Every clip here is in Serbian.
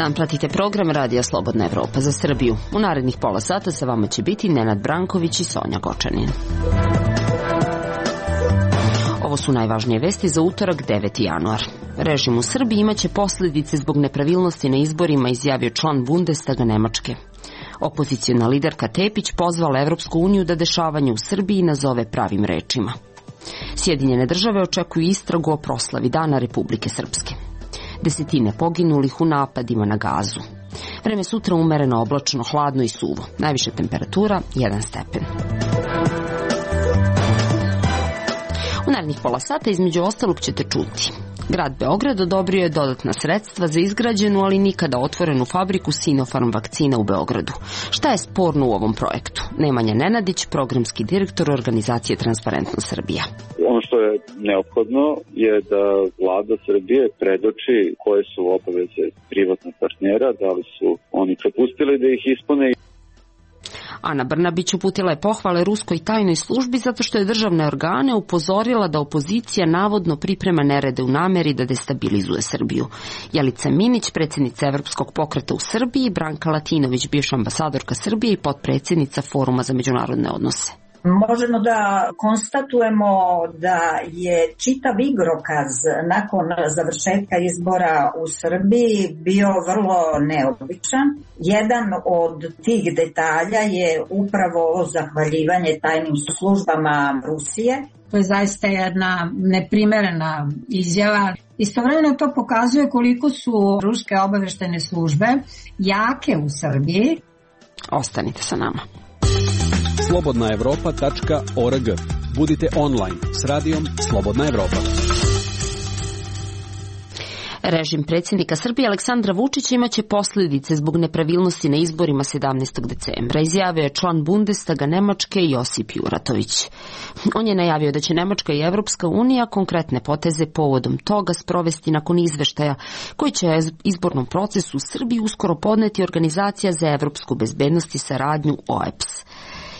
dan, pratite program Radija Slobodna Evropa za Srbiju. U narednih pola sata sa vama će biti Nenad Branković i Sonja Gočanin. Ovo su najvažnije vesti za utorak 9. januar. Režim u Srbiji imaće posljedice zbog nepravilnosti na izborima, izjavio član Bundestaga Nemačke. Opoziciona liderka Tepić pozvala Evropsku uniju da dešavanje u Srbiji nazove pravim rečima. Sjedinjene države očekuju istragu o proslavi Dana Republike Srpske. Desetine poginulih u napadima na Gazu. Vreme sutra umereno, oblačno, hladno i suvo. Najviša temperatura 1 stepen. U narednih pola sata između ostalog ćete čuti. Grad Beograd odobrio je dodatna sredstva za izgrađenu, ali nikada otvorenu fabriku Sinopharm vakcina u Beogradu. Šta je sporno u ovom projektu? Nemanja Nenadić, programski direktor organizacije Transparentnost Srbija. Ono što je neophodno je da vlada Srbije predoči koje su obaveze privatnog partnera, da li su oni propustili da ih ispune. Ana Brnabić uputila je pohvale ruskoj tajnoj službi zato što je državne organe upozorila da opozicija navodno priprema nerede u nameri da destabilizuje Srbiju. Jelica Minić, predsjednica Evropskog pokreta u Srbiji, Branka Latinović, bivša ambasadorka Srbije i potpredsjednica Foruma za međunarodne odnose. Možemo da konstatujemo da je čitav igrokaz nakon završetka izbora u Srbiji bio vrlo neobičan. Jedan od tih detalja je upravo zahvaljivanje tajnim službama Rusije. To je zaista jedna neprimerena izjava. Istovremeno to pokazuje koliko su ruske obaveštajne službe jake u Srbiji. Ostanite sa nama. slobodnaevropa.org. Budite online s radijom Slobodna Evropa. Režim predsjednika Srbije Aleksandra Vučića imaće posljedice zbog nepravilnosti na izborima 17. decembra, izjavio je član Bundestaga Nemačke Josip Juratović. On je najavio da će Nemačka i Evropska unija konkretne poteze povodom toga sprovesti nakon izveštaja koji će izbornom procesu u Srbiji uskoro podneti Organizacija za evropsku bezbednost i saradnju OEBS.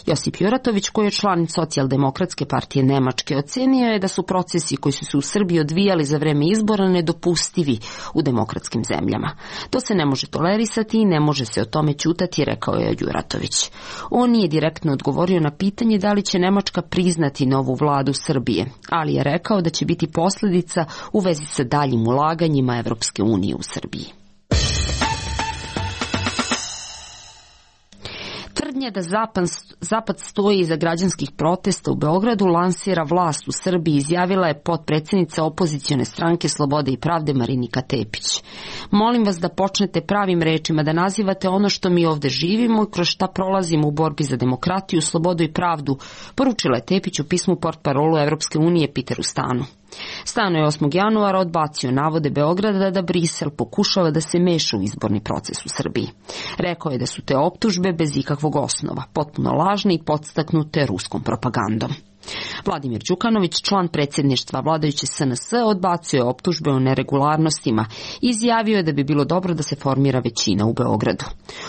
Josip Juratović, koji je član Socijaldemokratske partije Nemačke, ocenio je da su procesi koji su se u Srbiji odvijali za vreme izbora nedopustivi u demokratskim zemljama. To se ne može tolerisati i ne može se o tome ćutati, rekao je Juratović. On nije direktno odgovorio na pitanje da li će Nemačka priznati novu vladu Srbije, ali je rekao da će biti posljedica u vezi sa daljim ulaganjima Evropske unije u Srbiji. Tvrdnja da Zapad stoji iza građanskih protesta u Beogradu lansira vlast u Srbiji, izjavila je potpredsjednica opozicione stranke Slobode i pravde Marinika Tepić. Molim vas da počnete pravim rečima, da nazivate ono što mi ovde živimo i kroz šta prolazimo u borbi za demokratiju, slobodu i pravdu, poručila je Tepić u pismu portparolu Evropske unije Peteru Stanu. Stano je 8. januara odbacio navode Beograda da Brisel pokušava da se meša u izborni proces u Srbiji. Rekao je da su te optužbe bez ikakvog osnova, potpuno lažne i podstaknute ruskom propagandom. Vladimir Đukanović, član predsjedništva vladajuće SNS, odbacio je optužbe o neregularnostima i izjavio je da bi bilo dobro da se formira većina u Beogradu.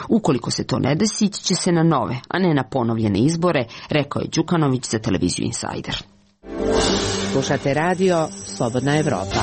Ukoliko se to ne desi, ići će se na nove, a ne na ponovljene izbore, rekao je Đukanović za televiziju Insider. Slušate radio Slobodna Evropa.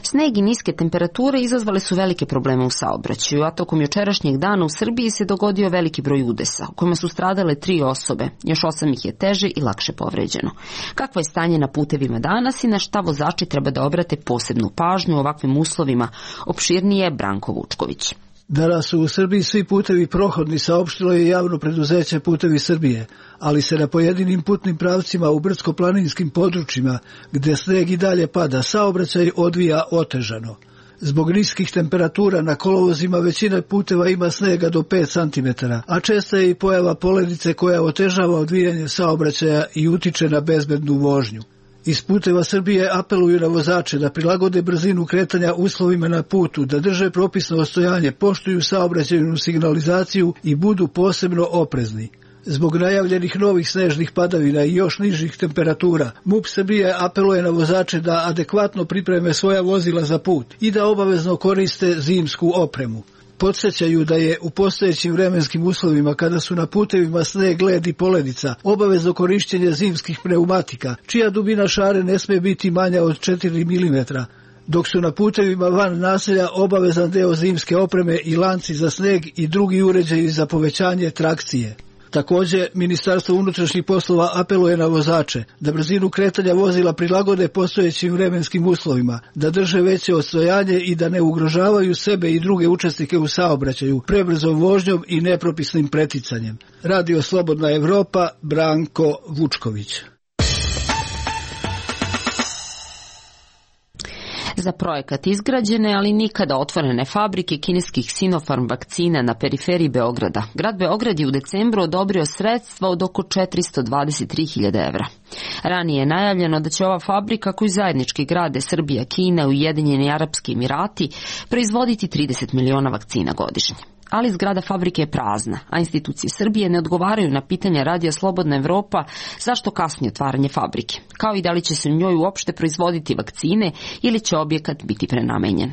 Sneg i niske temperature izazvale su velike probleme u saobraćaju, a tokom jučerašnjeg dana u Srbiji se dogodio veliki broj udesa, u kojima su stradale 3 osobe, još 8 ih je teže i lakše povređeno. Kakvo je stanje na putevima danas i na šta vozači treba da obrate posebnu pažnju u ovakvim uslovima, opširnije Branko Vučković. Danas su u Srbiji svi putevi prohodni, saopštilo je javno preduzeće Putevi Srbije, ali se na pojedinim putnim pravcima u brdsko-planinskim područjima, gdje sneg i dalje pada, saobraćaj odvija otežano. Zbog niskih temperatura na kolovozima većina puteva ima snega do 5 cm, a česta je i pojava poledice koja otežava odvijanje saobraćaja i utiče na bezbednu vožnju. Iz Puteva Srbije apeluju na vozače da prilagode brzinu kretanja uslovima na putu, da drže propisno ostojanje, poštuju saobraćajnu signalizaciju i budu posebno oprezni. Zbog najavljenih novih snežnih padavina i još nižih temperatura, MUP Srbije apeluje na vozače da adekvatno pripreme svoja vozila za put i da obavezno koriste zimsku opremu. Podsjećaju da je u postojećim vremenskim uslovima, kada su na putevima sneg, led i poledica, obavezno korišćenje zimskih pneumatika, čija dubina šare ne sme biti manja od 4 mm. dok su na putevima van naselja obavezan deo zimske opreme i lanci za sneg i drugi uređaji za povećanje trakcije. Također, Ministarstvo unutrašnjih poslova apeluje na vozače da brzinu kretanja vozila prilagode postojećim vremenskim uslovima, da drže veće odstojanje i da ne ugrožavaju sebe i druge učesnike u saobraćaju prebrzom vožnjom i nepropisnim preticanjem. Radio Slobodna Evropa, Branko Vučković. Za projekat izgrađene, ali nikada otvorene fabrike kineskih Sinopharm vakcina na periferiji Beograda. Grad Beograd je u decembru odobrio sredstva od oko 423.000 evra. Ranije je najavljeno da će ova fabrika, koju zajednički grade Srbija, Kina i Ujedinjeni Arapski Emirati, proizvoditi 30 miliona vakcina godišnje. Ali zgrada fabrike je prazna, a institucije Srbije ne odgovaraju na pitanja Radija Slobodna Evropa zašto kasni otvaranje fabrike, kao i da li će se u njoj uopšte proizvoditi vakcine ili će objekat biti prenamenjen.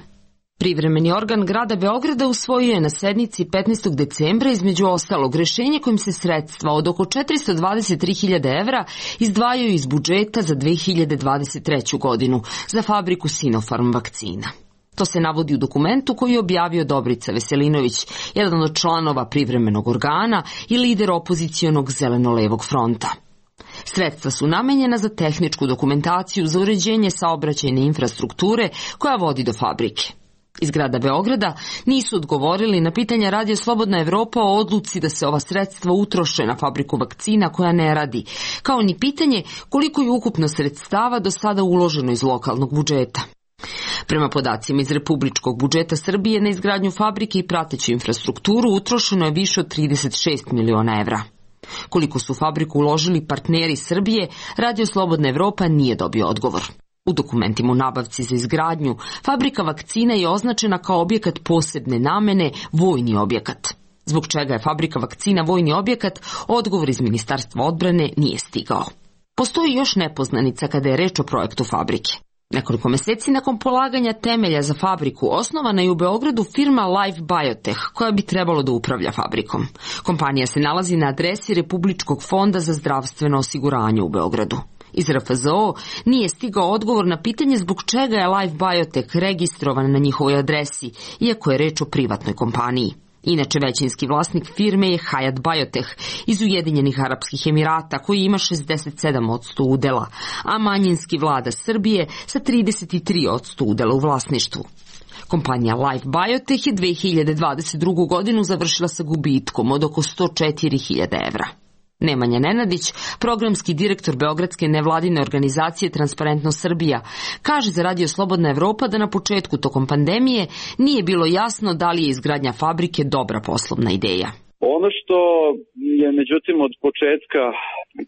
Privremeni organ grada Beograda usvojio je na sednici 15. decembra između ostalog rešenje kojim se sredstva od oko 423.000 evra izdvajaju iz budžeta za 2023. godinu za fabriku Sinopharm vakcina. To se navodi u dokumentu koji je objavio Dobrica Veselinović, jedan od članova privremenog organa i lider opozicionog Zeleno-levog fronta. Sredstva su namenjena za tehničku dokumentaciju za uređenje saobraćajne infrastrukture koja vodi do fabrike. Iz grada Beograda nisu odgovorili na pitanja Radija Slobodna Evropa o odluci da se ova sredstva utroše na fabriku vakcina koja ne radi, kao ni pitanje koliko je ukupno sredstava do sada uloženo iz lokalnog budžeta. Prema podacima iz republičkog budžeta Srbije na izgradnju fabrike i prateću infrastrukturu utrošeno je više od 36 miliona evra. Koliko su fabriku uložili partneri Srbije, Radio Slobodna Evropa nije dobio odgovor. U dokumentima o nabavci za izgradnju, fabrika vakcina je označena kao objekat posebne namene, vojni objekat. Zbog čega je fabrika vakcina vojni objekat, odgovor iz Ministarstva odbrane nije stigao. Postoji još nepoznanica kada je reč o projektu fabrike. Nekoliko meseci nakon polaganja temelja za fabriku osnovana je u Beogradu firma Life Biotech koja bi trebalo da upravlja fabrikom. Kompanija se nalazi na adresi Republičkog fonda za zdravstveno osiguranje u Beogradu. Iz RFZO nije stigao odgovor na pitanje zbog čega je Life Biotech registrovan na njihovoj adresi, iako je reč o privatnoj kompaniji. Inače, većinski vlasnik firme je Hayat Biotech iz Ujedinjenih Arapskih Emirata, koji ima 67% udela, a manjinski vlada Srbije sa 33% udela u vlasništvu. Kompanija Life Biotech je 2022. godinu završila sa gubitkom od oko 104.000 evra. Nemanja Nenadić, programski direktor beogradske nevladine organizacije Transparentnost Srbija, kaže za Radio Slobodna Evropa da na početku tokom pandemije nije bilo jasno da li je izgradnja fabrike dobra poslovna ideja. Ono što je međutim od početka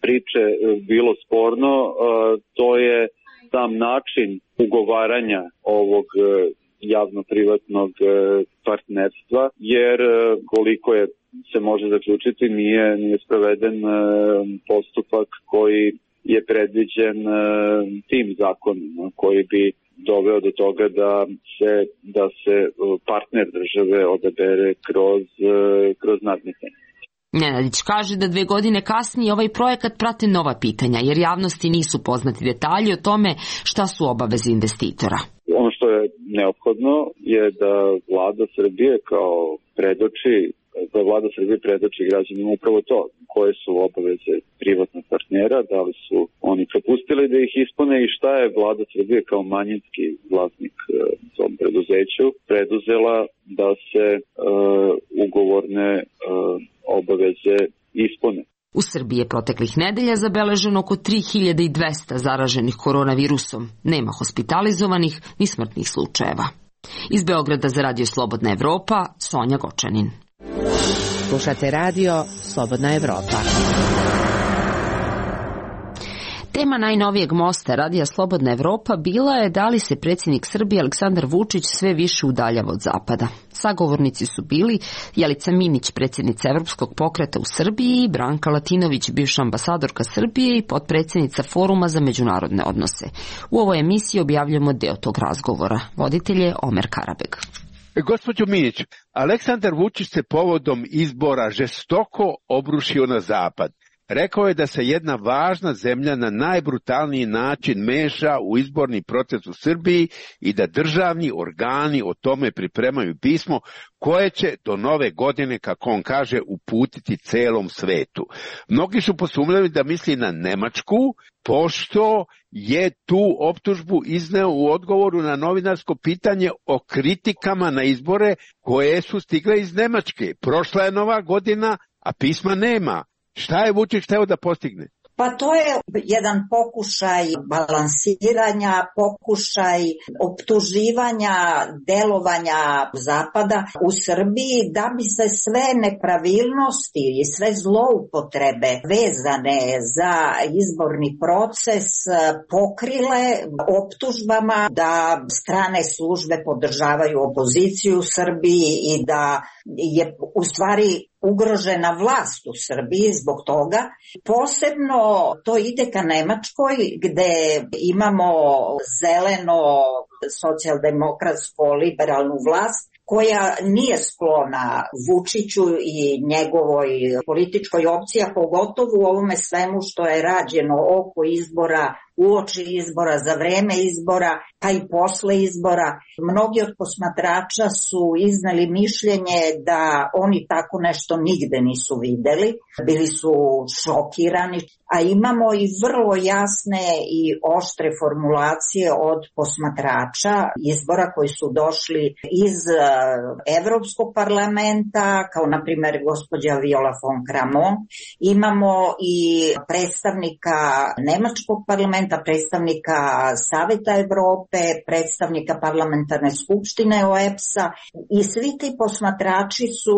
priče bilo sporno, to je sam način ugovaranja ovog javno-privatnog partnerstva, jer koliko je se može zaključiti, nije sproveden postupak koji je predviđen tim zakonom, koji bi doveo do toga da se partner države odabere kroz nadmetanje. Nenadić kaže da 2 godine kasnije ovaj projekat prate nova pitanja, jer javnosti nisu poznati detalji o tome šta su obaveze investitora. Ono što je neophodno je da vlada Srbije predoči građanima upravo to, koje su obaveze privatnog partnera, da li su oni propustili da ih ispune i šta je vlada Srbije kao manjinski vlasnik tom preduzeću preduzela da se ugovorne obaveze ispune. U Srbiji je proteklih nedelja zabeleženo oko 3200 zaraženih koronavirusom. Nema hospitalizovanih ni smrtnih slučajeva. Iz Beograda za Radio Slobodna Evropa, Sonja Gočanin. Slušate Radio Slobodna Evropa. Tema najnovijeg mosta Radija Slobodna Evropa bila je da li se predsjednik Srbije Aleksandar Vučić sve više udaljava od zapada. Sagovornici su bili Jelica Minić, predsjednica Evropskog pokreta u Srbiji, i Branka Latinović, bivša ambasadorka Srbije i potpredsjednica Foruma za međunarodne odnose. U ovoj emisiji objavljamo deo tog razgovora. Voditelj je Omer Karabeg. Gospođo Minić, Aleksandar Vučić se povodom izbora žestoko obrušio na zapad. rekao je da se jedna važna zemlja na najbrutalniji način meša u izborni proces u Srbiji i da državni organi o tome pripremaju pismo koje će do nove godine, kako on kaže, uputiti celom svetu. Mnogi su posumnjali da misli na Nemačku, pošto je tu optužbu izneo u odgovoru na novinarsko pitanje o kritikama na izbore koje su stigle iz Nemačke. Prošla je nova godina, a pisma nema. Šta je Vučić hteo da postigne? Pa to je jedan pokušaj balansiranja, pokušaj optuživanja, delovanja Zapada u Srbiji da bi se sve nepravilnosti i sve zloupotrebe vezane za izborni proces pokrile optužbama da strane službe podržavaju opoziciju u Srbiji i da je u stvari ugrožena vlast u Srbiji zbog toga. Posebno to ide ka Nemačkoj gde imamo zeleno socijaldemokratsko liberalnu vlast koja nije sklona Vučiću i njegovoj političkoj opciji, a pogotovo u ovome svemu što je rađeno oko izbora, uoči izbora, za vreme izbora, pa i posle izbora. Mnogi od posmatrača su izneli mišljenje da oni tako nešto nigde nisu videli, bili su šokirani, a imamo i vrlo jasne i oštre formulacije od posmatrača izbora koji su došli iz Evropskog parlamenta, kao na primjer gospođa Viola von Kramon. Imamo i predstavnika Nemačkog parlamenta, predstavnika Saveta Evrope, predstavnika parlamentarne skupštine OEBS-a i svi ti posmatrači su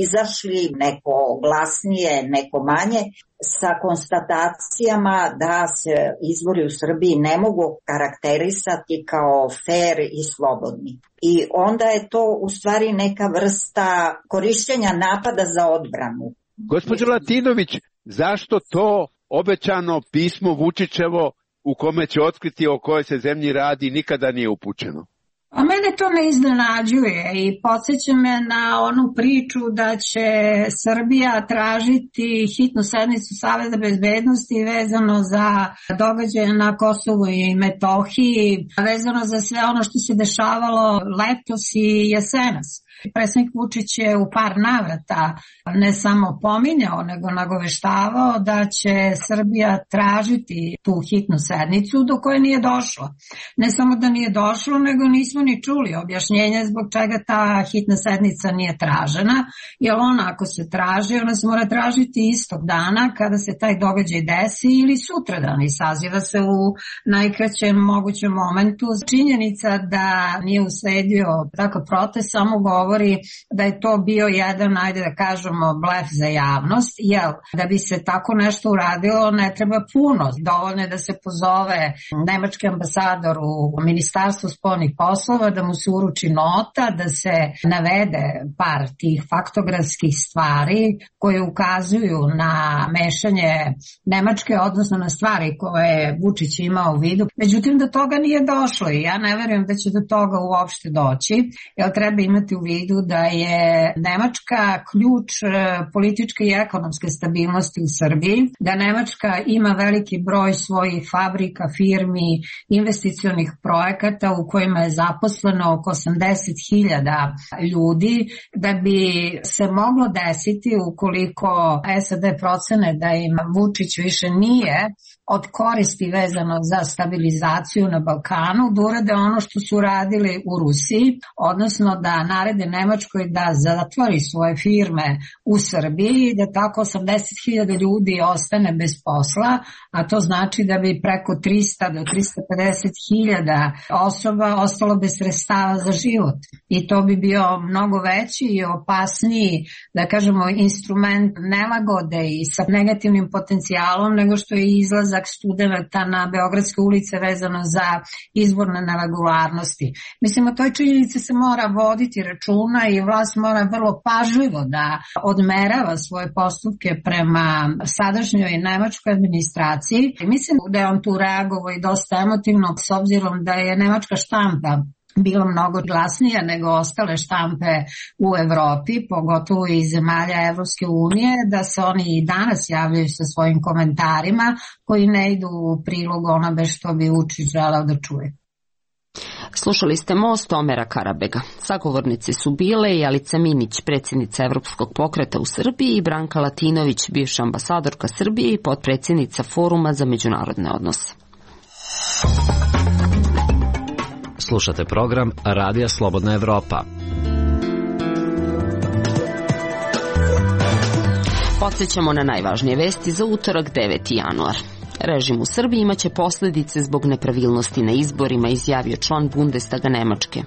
izašli, neko glasnije, neko manje, sa konstatacijama da se izbori u Srbiji ne mogu karakterisati kao fair i slobodni. I onda je to u stvari neka vrsta korišćenja napada za odbranu. Gospođo Latinović, zašto to obećano pismo Vučićevo u kome će otkriti o kojoj se zemlji radi nikada nije upućeno? A mene to ne iznenađuje i podsjeća me na onu priču da će Srbija tražiti hitnu sednicu Saveta bezbednosti vezano za događaje na Kosovu i Metohiji, vezano za sve ono što se dešavalo letos i jesenas. Predsjednik Vučić je u par navrata ne samo pominjao, nego nagoveštavao da će Srbija tražiti tu hitnu sednicu do koje nije došlo. Ne samo da nije došlo, nego nismo ni čuli objašnjenje zbog čega ta hitna sednica nije tražena, jer ona ako se traži, ona se mora tražiti istog dana kada se taj događaj desi ili sutradan i saziva se u najkraćem mogućem momentu. Činjenica da nije usledio takav protest samo govori da je to bio jedan, ajde da kažemo, blef za javnost, jer da bi se tako nešto uradilo ne treba puno. Dovoljno je da se pozove nemački ambasador u Ministarstvu spoljnih poslova, da mu se uruči nota, da se navede par tih faktografskih stvari koje ukazuju na mešanje Nemačke, odnosno na stvari koje je Vučić imao u vidu. Međutim, do toga nije došlo i ja ne verujem da će do toga uopšte doći, jer treba imati u vidu da je Nemačka ključ političke i ekonomske stabilnosti u Srbiji, da Nemačka ima veliki broj svojih fabrika, firmi, investicionih projekata u kojima je zaposleno oko 80.000 ljudi, da bi se moglo desiti ukoliko SAD procene da im Vučić više nije od koristi vezano za stabilizaciju na Balkanu, da urade ono što su radili u Rusiji, odnosno da narede Nemačkoj da zatvori svoje firme u Srbiji, da tako 80.000 ljudi ostane bez posla, a to znači da bi preko 300 do 350.000 osoba ostalo bez sredstava za život. I to bi bio mnogo veći i opasniji, da kažemo, instrument nelagode i sa negativnim potencijalom nego što je izlazak studenata na beogradske ulice vezano za izborne neregularnosti. Mislim, o toj činjenici se mora voditi računa i vlast mora vrlo pažljivo da odmerava svoje postupke prema sadašnjoj nemačkoj administraciji. Mislim da je on tu reagovao i dosta emotivno s obzirom da je nemačka štampa bila mnogo glasnija nego ostale štampe u Evropi, pogotovo iz zemalja Evropske unije, da se oni i danas javljaju sa svojim komentarima koji ne idu u prilog onome što bi Vučić želeo da čuje. Slušali ste Most Omera Karabega. Sagovornici su bile i Alica Minić, predsjednica Evropskog pokreta u Srbiji, i Branka Latinović, bivša ambasadorka Srbije i potpredsjednica Foruma za međunarodne odnose. Slušate program Radija Slobodna Evropa. Podsjećamo na najvažnije vesti za utorak 9. januar. Režim u Srbiji imaće posljedice zbog nepravilnosti na izborima, izjavio član Bundestaga Nemačke.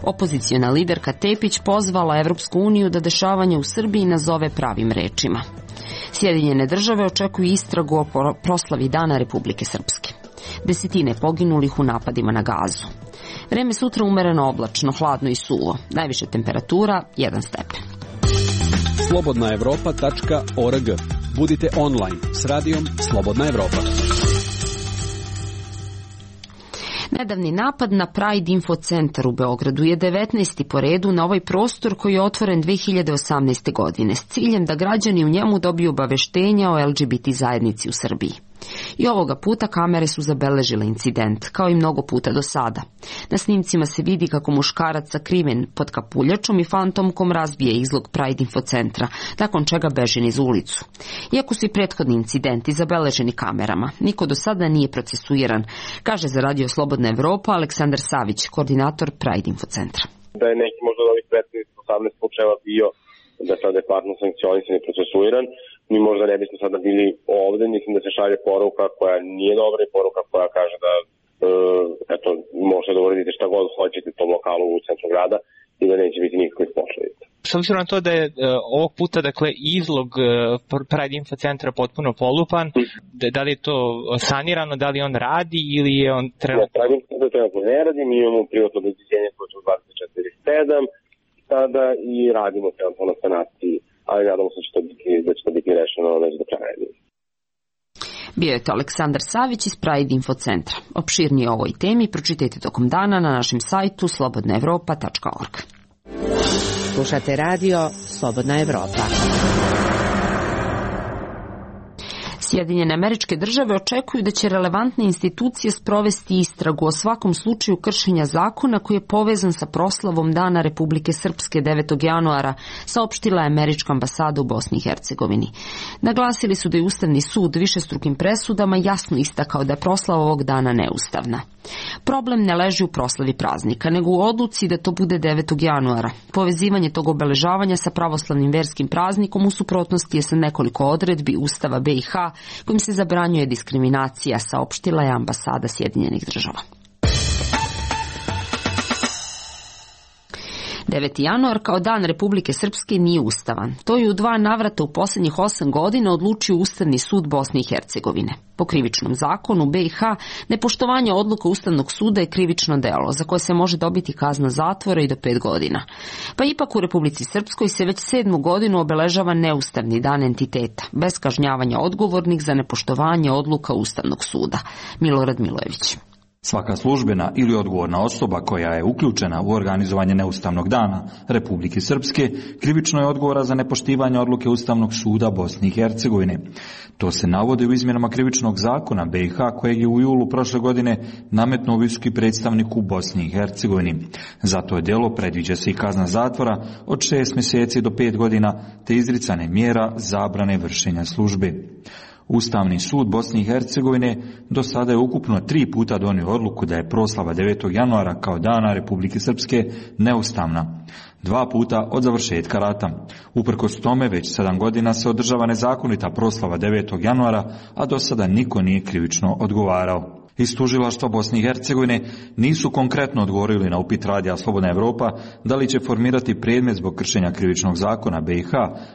Opoziciona liderka Tepić pozvala Evropsku uniju da dešavanje u Srbiji nazove pravim rečima. Sjedinjene države očekuju istragu o proslavi Dana Republike Srpske. Desetine poginulih u napadima na Gazu. Vreme sutra umereno oblačno, hladno i suvo. Najviša temperatura 1 stepen. slobodnaevropa.org. Budite online s radijom Slobodna Evropa. Nedavni napad na Pride Info Centar u Beogradu je 19. po redu na ovaj prostor koji je otvoren 2018. godine s ciljem da građani u njemu dobiju obaveštenja o LGBT zajednici u Srbiji. I ovoga puta kamere su zabeležile incident, kao i mnogo puta do sada. Na snimcima se vidi kako muškarac sakriven pod kapuljačom i fantomkom razbije izlog Pride Info Centra, nakon čega beži niz ulicu. Iako su i prethodni incidenti zabeleženi kamerama, niko do sada nije procesuiran, kaže za Radio Slobodna Evropa Aleksandar Savić, koordinator Pride Info Centra. Da je neki možda od ovih 15-18 slučajeva bio da sad je adekvatno sankcionisan i procesuiran, mi možda ne bismo sada bili ovde, mislim da se šalje poruka koja nije dobra i poruka koja kaže da eto, možete da uradite šta god hoćete tom lokalu u centru grada i da neće biti nikakvih posledica. S obzirom na to da je ovog puta dakle izlog Pride Info Centra potpuno polupan, da li je to sanirano, da li on radi ili je on trenutno? Pride Info Centra trenutno ne radi, mi imamo privatno obezbeđenje koje će 24/7 sada i radimo trenutno na sanaciji, ali nadamo se da će to biti rešeno već do kraja nedelje. Bio je to Aleksandar Savić iz Pride Info Centra. Opširnije o ovoj temi pročitajte tokom dana na našem sajtu slobodnaevropa.org. Slušate radio Slobodna Evropa. Sjedinjene Američke Države očekuju da će relevantne institucije sprovesti istragu o svakom slučaju kršenja zakona koji je povezan sa proslavom Dana Republike Srpske 9. januara, saopštila je američka ambasada u Bosni i Hercegovini. Naglasili su da je Ustavni sud višestrukim presudama jasno istakao da je proslava ovog dana neustavna. Problem ne leži u proslavi praznika, nego u odluci da to bude 9. januara. Povezivanje tog obeležavanja sa pravoslavnim verskim praznikom u suprotnosti je sa nekoliko odredbi Ustava BiH kojim se zabranjuje diskriminacija, saopštila je ambasada Sjedinjenih Država. 9. januar kao Dan Republike Srpske nije ustavan. To je u 2 navrata u posljednjih 8 godina odlučio Ustavni sud Bosne i Hercegovine. Po krivičnom zakonu BiH, nepoštovanje odluka Ustavnog suda je krivično delo, za koje se može dobiti kazna zatvora i do 5 godina. Pa ipak u Republici Srpskoj se već 7. godinu obeležava neustavni dan entiteta, bez kažnjavanja odgovornih za nepoštovanje odluka Ustavnog suda. Milorad Milojević. Svaka službena ili odgovorna osoba koja je uključena u organizovanje neustavnog dana Republike Srpske krivično je odgovora za nepoštivanje odluke Ustavnog suda Bosne i Hercegovine. To se navodi u izmjenama krivičnog zakona BiH kojeg je u julu prošle godine nametnuo visoki predstavnik u Bosni i Hercegovini. Za to djelo predviđa se i kazna zatvora od 6 mjeseci do 5 godina te izricane mjera zabrane vršenja službe. Ustavni sud Bosne i Hercegovine do sada je ukupno 3 puta donio odluku da je proslava 9. januara kao Dana Republike Srpske neustavna. 2 puta od završetka rata. Uprkos tome već 7 godina se održava nezakonita proslava 9. januara, a do sada niko nije krivično odgovarao. Iz tužilaštva Bosne i Hercegovine nisu konkretno odgovorili na upit Radija Slobodna Evropa da li će formirati predmet zbog kršenja krivičnog zakona BiH,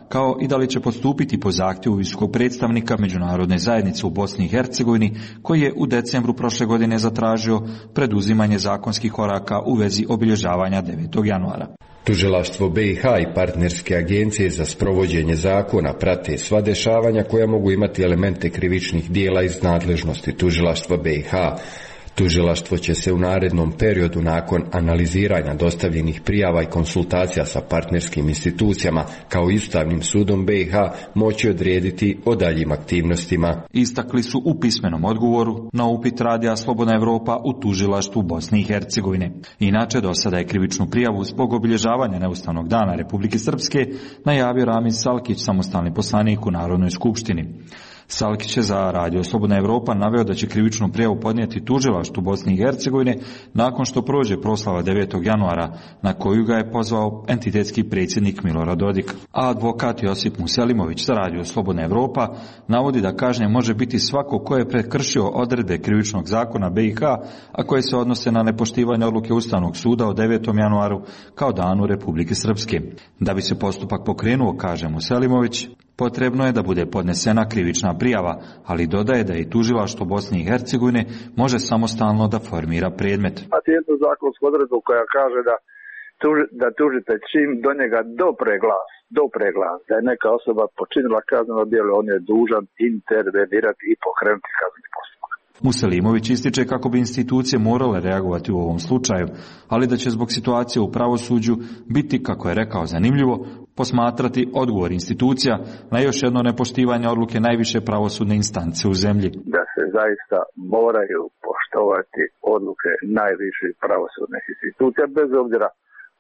kao i da li će postupiti po zahtjevu visokog predstavnika međunarodne zajednice u Bosni i Hercegovini, koji je u decembru prošle godine zatražio preduzimanje zakonskih koraka u vezi obilježavanja 9. januara. Tužilaštvo BiH i partnerske agencije za sprovođenje zakona prate sva dešavanja koja mogu imati elemente krivičnih dijela iz nadležnosti tužilaštva BiH. Tužilaštvo će se u narednom periodu nakon analiziranja dostavljenih prijava i konsultacija sa partnerskim institucijama kao i Ustavnim sudom BiH moći odrediti o daljim aktivnostima. Istakli su u pismenom odgovoru na upit Radija Slobodna Evropa u tužilaštvu Bosne i Hercegovine. Inače, do sada je krivičnu prijavu zbog obilježavanja Neustavnog dana Republike Srpske najavio Ramiz Salkić, samostalni poslanik u Narodnoj skupštini. Salkić je za Radio Slobodna Evropa naveo da će krivičnu prijavu podnijeti tužilaštvu Bosne i Hercegovine nakon što prođe proslava 9. januara na koju ga je pozvao entitetski predsjednik Milorad Dodik. A advokat Josip Muselimović za Radio Slobodna Evropa navodi da kažnjen može biti svako ko je prekršio odredbe krivičnog zakona BiH, a koje se odnose na nepoštivanje odluke Ustavnog suda o 9. januaru kao danu Republike Srpske. Da bi se postupak pokrenuo, kaže Muselimović, potrebno je da bude podnesena krivična prijava, ali dodaje da i tužilaštvo Bosne i Hercegovine može samostalno da formira predmet. A jednu zakonsku odredbu koja kaže da tužitelj čim do njega dopre glas da je neka osoba počinila kazneno djelo, on je dužan intervenirati i pokrenuti kazneni postupak. Muselimović ističe kako bi institucije morale reagovati u ovom slučaju, ali da će zbog situacije u pravosuđu biti, kako je rekao, zanimljivo posmatrati odgovor institucija na još jedno nepoštivanje odluke najviše pravosudne instance u zemlji. Da se zaista moraju poštovati odluke najviše pravosudnih institucija, bez obzira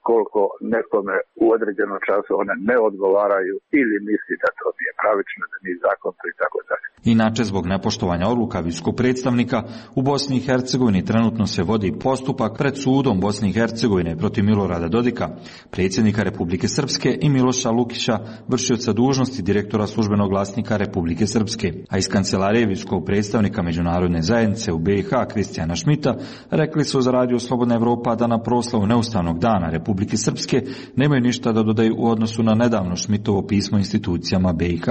koliko nekome u određenom času one ne odgovaraju ili misli da to nije pravično, da nije zakonito i tako dalje. Inače, zbog nepoštovanja odluka visokog predstavnika u Bosni i Hercegovini trenutno se vodi postupak pred sudom Bosne i Hercegovine protiv Milorada Dodika, predsjednika Republike Srpske, i Miloša Lukića, vršioca dužnosti direktora službenog glasnika Republike Srpske. A iz kancelarije visokog predstavnika međunarodne zajednice u BiH Kristijana Šmita rekli su za Radio Slobodna Evropa da na proslavu Neustavnog dana Republike Srpske nemaju ništa da dodaju u odnosu na nedavno Šmitovo pismo institucijama BiH.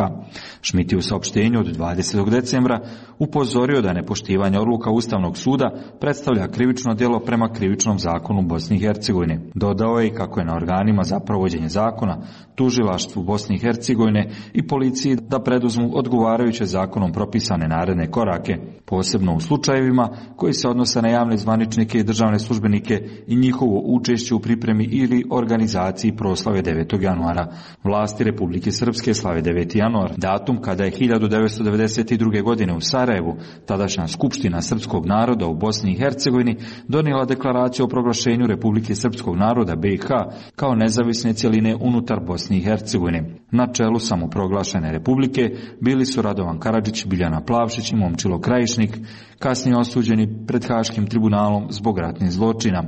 Šmit je u saopštenju od 20. decembra upozorio da nepoštivanje odluka Ustavnog suda predstavlja krivično djelo prema krivičnom zakonu Bosne i Hercegovine. Dodao je i kako je na organima za provođenje zakona, tužilaštvu Bosne i Hercegovine i policiji da preduzmu odgovarajuće zakonom propisane naredne korake, posebno u slučajevima koji se odnose na javne zvaničnike i državne službenike i njihovo učešće u pripremi ili organizaciji proslave 9. januara. Vlasti Republike Srpske slave 9. januar, datum kada je 1992. godine u Sarajevu tadašnja Skupština srpskog naroda u Bosni i Hercegovini donijela deklaraciju o proglašenju Republike srpskog naroda BiH kao nezavisne cjeline unutar Bosne i Hercegovine. Na čelu samoproglašene republike bili su Radovan Karadžić, Biljana Plavšić i Momčilo Krajišnik, kasnije osuđeni pred Haškim tribunalom zbog ratnih zločina.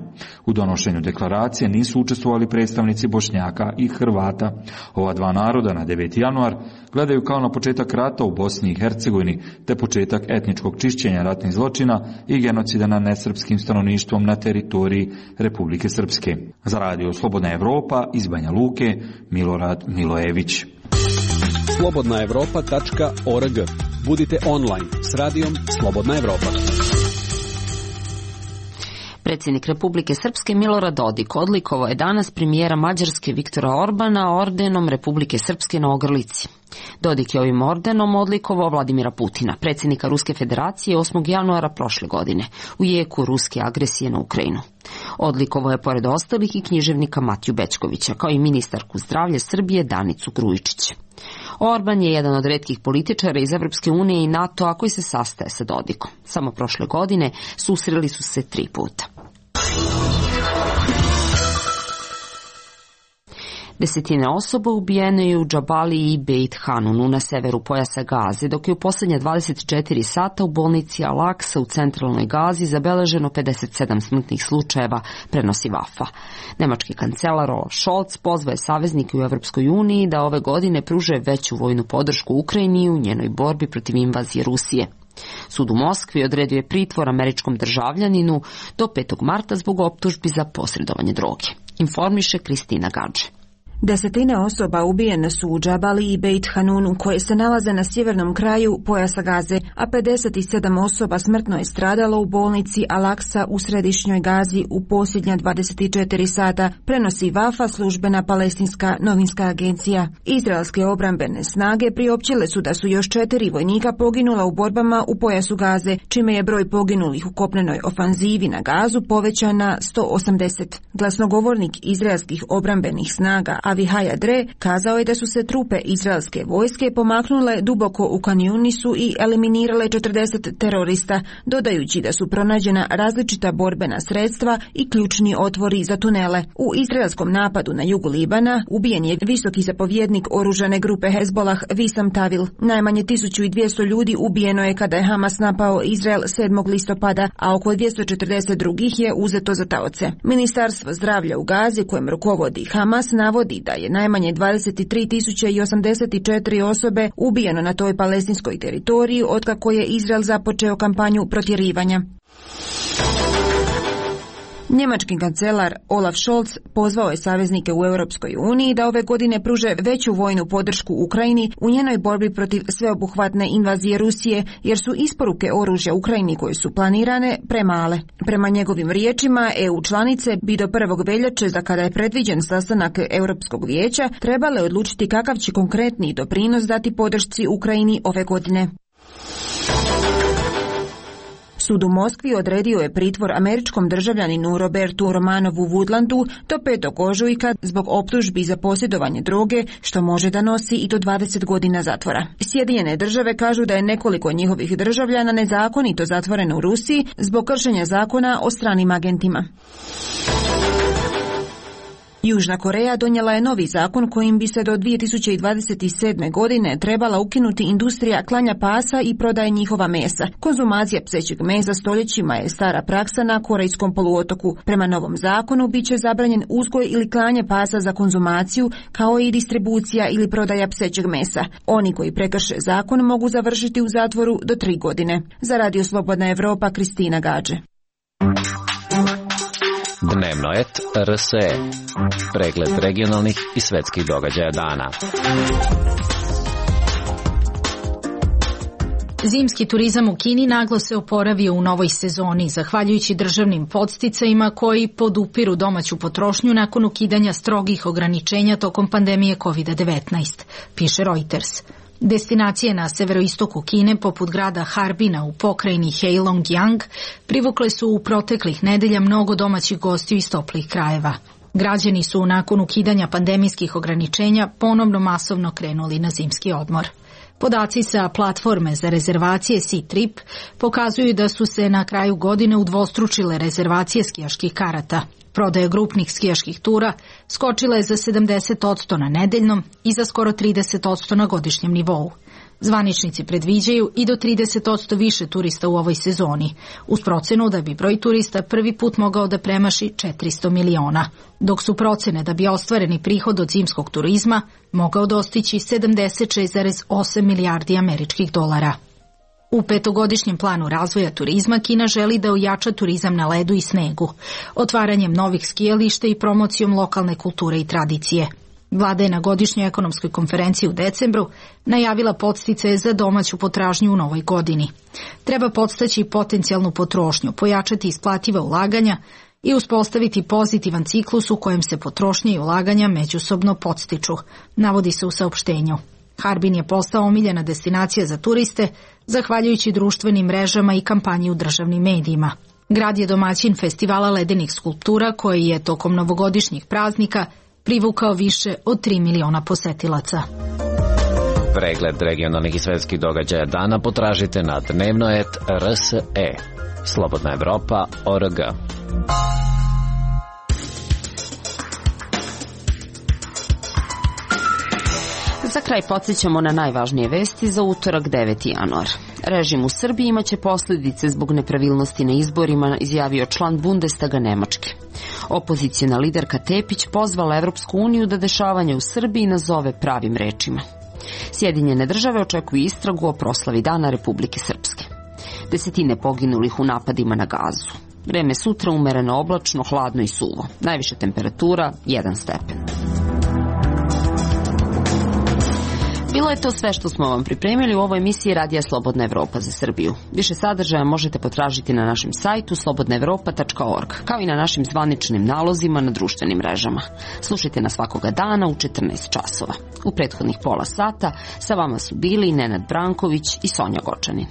U donošenju deklaracije nisu učestvovali predstavnici Bošnjaka i Hrvata. Ova dva naroda na 9. januar gledaju kao na početak rata u Bosni i Hercegovini, te početak etničkog čišćenja ratnih zločina i genocida nad nesrpskim stanovništvom na teritoriji Republike Srpske. Za Radio Slobodna Evropa iz Banja Luke, Milorad Milojević. slobodnaevropa.org. Budite online s Radijom Slobodna Evropa. Predsjednik Republike Srpske Milorad Dodik odlikovao je danas premijera Mađarske Viktora Orbana ordenom Republike Srpske na ogrlici. Dodik je ovim ordenom odlikovao Vladimira Putina, predsjednika Ruske federacije, 8. januara prošle godine, u jeku ruske agresije na Ukrajinu. Odlikovao je pored ostalih i književnika Matiju Bećkovića, kao i ministarku zdravlja Srbije Danicu Grujičić. Orban je jedan od retkih političara iz Evropske unije i NATO-a koji se sastaje sa Dodikom. Samo prošle godine susreli su se 3 puta. Desetine osoba ubijene je u Džabaliji i Beit Hanunu na severu pojasa Gaze, dok je u posljednje 24 sata u bolnici Al-Aqsa u centralnoj Gazi zabeleženo 57 smrtnih slučajeva, prenosi Wafa. Nemački kancelar Olaf Scholz pozvao je saveznike u Evropskoj uniji da ove godine pruže veću vojnu podršku Ukrajini u njenoj borbi protiv invazije Rusije. Sud u Moskvi odredio je pritvor američkom državljaninu do 5. marta zbog optužbi za posredovanje droge. Informiše Kristina Gadže. Desetine osoba ubijene su u Džabali i Beit Hanunu, koje se nalaze na sjevernom kraju pojasa Gaze, a 57 osoba smrtno je stradalo u bolnici Al-Aqsa u središnjoj Gazi u posljednja 24 sata, prenosi Wafa, službena palestinska novinska agencija. Izraelske obrambene snage priopćile su da su još 4 vojnika poginula u borbama u pojasu Gaze, čime je broj poginulih u kopnenoj ofanzivi na Gazu povećan na 180. Glasnogovornik izraelskih obrambenih snaga Avihaj Adre kazao je da su se trupe izraelske vojske pomaknule duboko u Kan Yunisu i eliminirale 40 terorista, dodajući da su pronađena različita borbena sredstva i ključni otvori za tunele. U izraelskom napadu na jugu Libana ubijen je visoki zapovjednik oružane grupe Hezbollah Visam Tavil. Najmanje 1200 ljudi ubijeno je kada je Hamas napao Izrael 7. listopada, a oko 240 drugih je uzeto za taoce. Ministarstvo zdravlja u Gazi, kojem rukovodi Hamas, navodi da je najmanje 23.084 osobe ubijeno na toj palestinskoj teritoriji otkako je Izrael započeo kampanju protjerivanja. Njemački kancelar Olaf Scholz pozvao je saveznike u Europskoj uniji da ove godine pruže veću vojnu podršku Ukrajini u njenoj borbi protiv sveobuhvatne invazije Rusije, jer su isporuke oružja Ukrajini koje su planirane premale. Prema njegovim riječima, EU članice bi do 1. veljače, za kada je predviđen sastanak Europskog vijeća, trebale odlučiti kakav će konkretni doprinos dati podršci Ukrajini ove godine. Sud u Moskvi odredio je pritvor američkom državljaninu Robertu Romanovu Woodlandu do 5. ožujka zbog optužbi za posjedovanje droge, što može da nosi i do 20 godina zatvora. Sjedinjene države kažu da je nekoliko njihovih državljana nezakonito zatvoreno u Rusiji zbog kršenja zakona o stranim agentima. Južna Koreja donijela je novi zakon kojim bi se do 2027. godine trebala ukinuti industrija klanja pasa i prodaje njihova mesa. Konzumacija psećeg mesa stoljećima je stara praksa na Korejskom poluotoku. Prema novom zakonu bit će zabranjen uzgoj ili klanje pasa za konzumaciju, kao i distribucija ili prodaja psećeg mesa. Oni koji prekrše zakon mogu završiti u zatvoru do 3 godine. Za Radio Slobodna Evropa, Kristina Gađe. Dnevno et RSE. Pregled regionalnih i svetskih događaja dana. Zimski turizam u Kini naglo se oporavio u novoj sezoni, zahvaljujući državnim podsticajima koji podupiru domaću potrošnju nakon ukidanja strogih ograničenja tokom pandemije COVID-19, piše Reuters. Destinacije na severoistoku Kine, poput grada Harbina u pokrajini Heilongjiang, privukle su u proteklih nedelja mnogo domaćih gostiju iz toplih krajeva. Građani su nakon ukidanja pandemijskih ograničenja ponovno masovno krenuli na zimski odmor. Podaci sa platforme za rezervacije Ctrip pokazuju da su se na kraju godine udvostručile rezervacije skijaških karata. Prodaja grupnih skijaških tura skočila je za 70% na nedeljnom i za skoro 30% na godišnjem nivou. Zvaničnici predviđaju i do 30% više turista u ovoj sezoni, uz procenu da bi broj turista prvi put mogao da premaši 400 miliona, dok su procene da bi ostvareni prihod od zimskog turizma mogao dostići 76,8 milijardi američkih dolara. U 5-godišnjem planu razvoja turizma Kina želi da ojača turizam na ledu i snegu, otvaranjem novih skijališta i promocijom lokalne kulture i tradicije. Vlada je na godišnjoj ekonomskoj konferenciji u decembru najavila podsticaje za domaću potražnju u novoj godini. Treba podstaći potencijalnu potrošnju, pojačati isplativa ulaganja i uspostaviti pozitivan ciklus u kojem se potrošnja i ulaganja međusobno podstiču, navodi se u saopštenju. Harbin je postao omiljena destinacija za turiste, zahvaljujući društvenim mrežama i kampanji u državnim medijima. Grad je domaćin festivala ledenih skulptura koji je tokom novogodišnjih praznika privukao više od 3 miliona posetilaca. Pregled regionalnih i svetskih događaja dana potražite na dnevno.rs.e. Slobodna Evropa.org. Za kraj podsjećamo na najvažnije vesti za utorak 9. januar. Režim u Srbiji imaće posljedice zbog nepravilnosti na izborima, izjavio član Bundestaga Nemačke. Opozicijna liderka Tepić pozvala Evropsku uniju da dešavanje u Srbiji nazove pravim rečima. Sjedinjene države očekuju istragu o proslavi Dana Republike Srpske. Desetine poginulih u napadima na Gazu. Vreme sutra umereno oblačno, hladno i suvo. Najviša temperatura 1 stepen. Bilo je to sve što smo vam pripremili u ovoj emisiji Radija Slobodna Evropa za Srbiju. Više sadržaja možete potražiti na našem sajtu slobodnaevropa.org, kao i na našim zvaničnim nalozima na društvenim mrežama. Slušajte nas svakoga dana u 14 časova. U prethodnih pola sata sa vama su bili Nenad Branković i Sonja Gočanin.